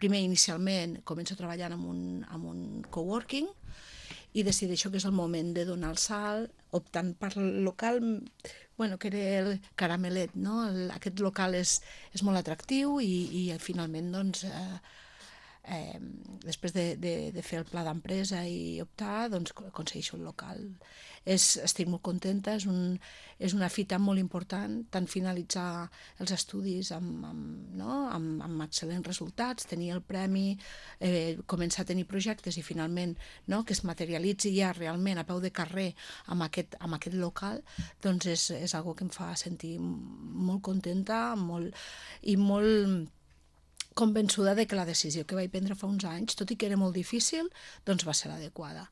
primer, inicialment, començo treballant en un coworking i decideixo que és el moment de donar el salt, optant per el local, bueno, que era el Caramelet, no? Aquest local és molt atractiu i finalment, doncs, després de fer el pla d'empresa i optar, doncs aconsegueixo un local. Estic molt contenta, és una fita molt important, tant finalitzar els estudis amb excel·lents resultats, tenir el premi, començar a tenir projectes i finalment que es materialitzi ja realment a peu de carrer amb aquest local, doncs és algo que em fa sentir molt contenta i molt convençuda de que la decisió que vaig prendre fa uns anys, tot i que era molt difícil, doncs va ser l'adequada.